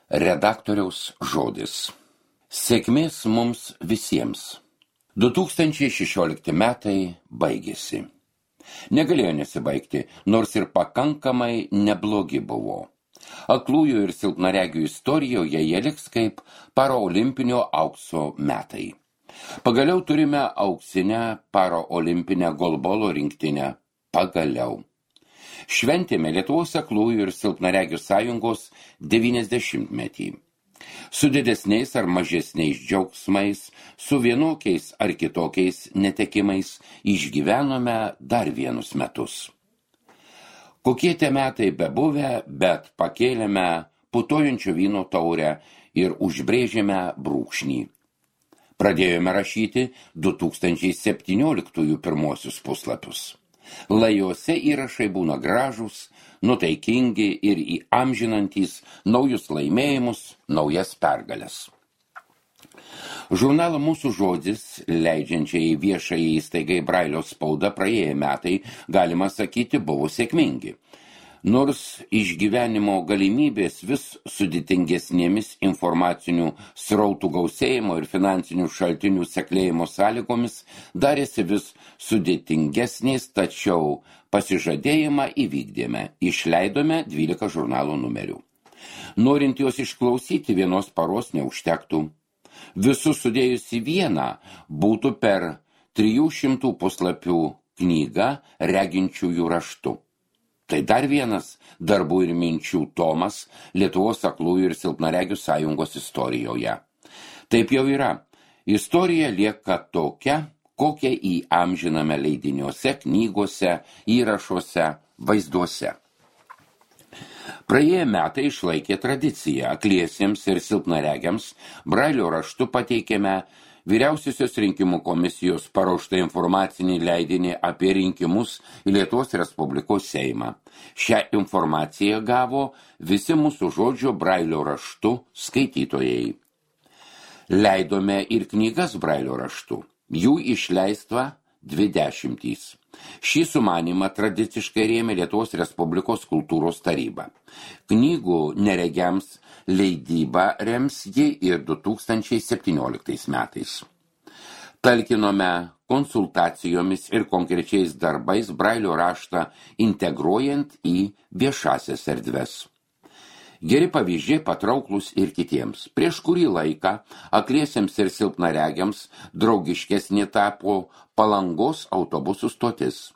Redaktoriaus žodis. Sėkmės mums visiems. 2016 metai baigėsi. Negalėjo nesibaigti, nors ir pakankamai neblogi buvo. Aklųjų ir silpnaregių istorijoje jie liks kaip paraolimpinio aukso metai. Pagaliau turime auksinę paraolimpinę golbolo rinktinę. Pagaliau. Šventėme Lietuvos aklųjų ir silpnaregių sąjungos 90-metį. Su didesniais ar mažesniais džiaugsmais, su vienokiais ar kitokiais netekimais išgyvenome dar vienus metus. Kokie tie metai bebuvę, bet pakėlėme putojančio vyno taurę ir užbrėžėme brūkšnį. Pradėjome rašyti 2017 pirmosius puslapius. Lajuose įrašai būna gražūs, nutaikingi ir įamžinantys naujus laimėjimus, naujas pergales. Žurnalą Mūsų žodis, leidžiančiai viešai įstaigai Brailio spaudą praėję metai, galima sakyti, buvo sėkmingi. Nors išgyvenimo galimybės vis sudėtingesnėmis informacinių srautų gausėjimo ir finansinių šaltinių seklėjimo sąlygomis darėsi vis sudėtingesnės, tačiau pasižadėjimą įvykdėme, išleidome 12 žurnalo numerių. Norint juos išklausyti, vienos paros neužtektų. Visus sudėjus į vieną būtų per 300 puslapių knyga reginčiųjų raštu. Tai dar vienas darbų ir minčių tomas Lietuvos aklųjų ir silpnaregių sąjungos istorijoje. Taip jau yra. Istorija lieka tokia, kokią įamžiname leidiniuose, knygose, įrašuose, vaizduose. Praėję metai išlaikė tradiciją. Akliesiems ir silpnaregiams Brailio raštu pateikėme Vyriausiosios rinkimų komisijos paruoštą informacinį leidinį apie rinkimus į Lietuvos Respublikos Seimą. Šią informaciją gavo visi Mūsų žodžio Brailio raštu skaitytojai. Leidome ir knygas Brailio raštu. Jų išleista 20. Šį sumanymą tradiciškai rėmė Lietuvos Respublikos kultūros taryba. Knygų neregiams leidybą rems ji ir 2017 metais. Talkinome konsultacijomis ir konkrečiais darbais Brailio raštą integruojant į viešasias erdves. Geri pavyzdžiai patrauklus ir kitiems. Prieš kurį laiką akliesiems ir silpnaregiams draugiškesnė tapo Palangos autobusų stotis.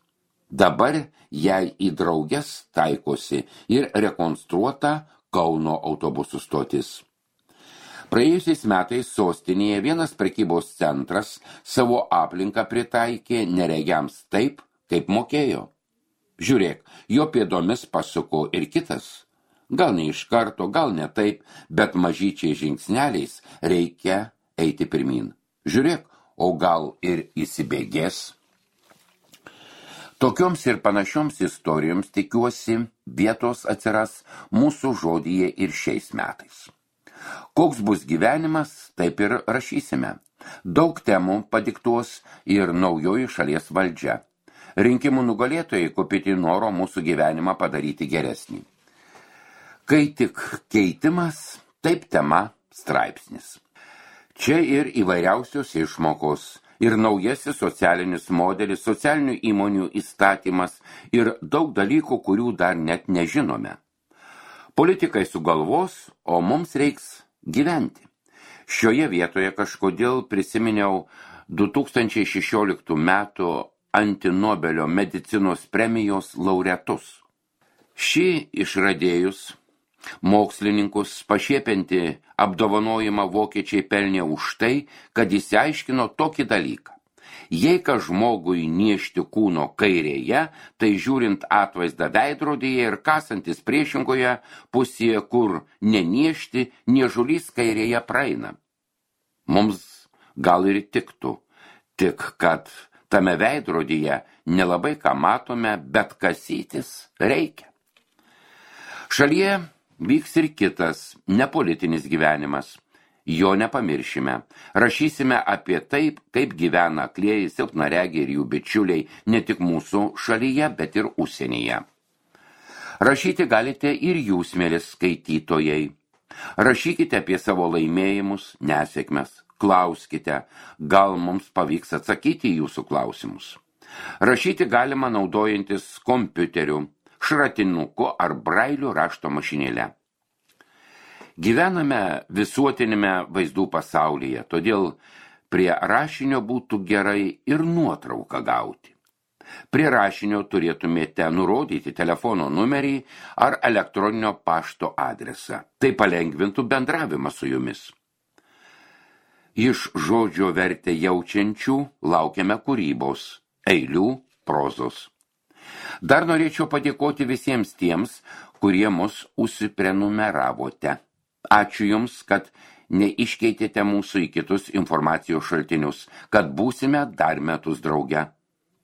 Dabar jai į drauges taikosi ir rekonstruota Kauno autobusų stotis. Praėjusiais metais sostinėje vienas prekybos centras savo aplinką pritaikė neregiams taip, kaip mokėjo. Žiūrėk, jo pėdomis pasuko ir kitas. Gal ne iš karto, gal ne taip, bet mažyčiai žingsneliais reikia eiti pirmin. Žiūrėk, o gal ir įsibėgės. Tokioms ir panašioms istorijoms, tikiuosi, vietos atsiras Mūsų žodyje ir šiais metais. Koks bus gyvenimas, taip ir rašysime. Daug temų padiktuos ir naujoji šalies valdžia. Rinkimų nugalėtojai kupini noro mūsų gyvenimą padaryti geresnį. Kai tik keitimas, taip tema straipsnis. Čia ir įvairiausios išmokos, ir naujasis socialinis modelis, socialinių įmonių įstatymas ir daug dalykų, kurių dar net nežinome. Politikai sugalvos, o mums reiks gyventi. Šioje vietoje kažkodėl prisiminiau 2016 metų antinobelio medicinos premijos laureatus. Šį išradėjus mokslininkus pašiepianti apdovanojimą vokiečiai pelnė už tai, kad jis aiškino tokį dalyką. Jei ką žmogui niešti kūno kairėje, tai žiūrint atvaizdą veidrodyje ir kasantis priešingoje pusėje, kur neniešti, niežulys kairėje praeina. Mums gal ir tiktų, tik kad tame veidrodyje nelabai ką matome, bet kasytis reikia. Šalyje vyks ir kitas, nepolitinis gyvenimas. Jo nepamiršime. Rašysime apie taip, kaip gyvena aklieji, silpnaregiai ir jų bičiuliai ne tik mūsų šalyje, bet ir užsienyje. Rašyti galite ir jūs, mielis skaitytojai. Rašykite apie savo laimėjimus, nesėkmes, klauskite, gal mums pavyks atsakyti į jūsų klausimus. Rašyti galima naudojantis kompiuteriu, šratinuku ar brailių rašto mašinėle. Gyvename visuotinėme vaizdų pasaulyje, todėl prie rašinio būtų gerai ir nuotrauką gauti. Prie rašinio turėtumėte nurodyti telefono numerį ar elektroninio pašto adresą. Tai palengvintų bendravimą su jumis. Iš žodžio vertę jaučiančių laukiame kūrybos, eilių, prozos. Dar norėčiau padėkoti visiems tiems, kurie mus užsiprenumeravote. Ačiū Jums, kad neiškeitėte mūsų į kitus informacijos šaltinius, kad būsime dar metus drauge.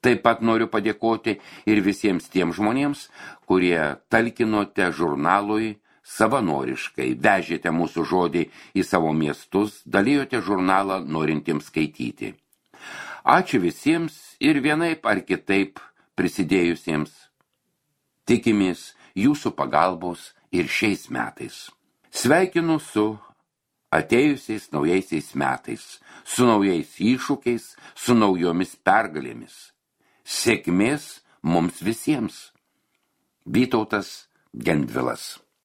Taip pat noriu padėkoti ir visiems tiems žmonėms, kurie talkinote žurnalui savanoriškai, vežėte mūsų žodį į savo miestus, dalijote žurnalą norintiems skaityti. Ačiū visiems ir vienaip ar kitaip prisidėjusiems. Tikimės jūsų pagalbos ir šiais metais. Sveikinu su atėjusiais naujaisiais metais, su naujais iššūkiais, su naujomis pergalėmis. Sėkmės mums visiems. Vytautas Gendvilas.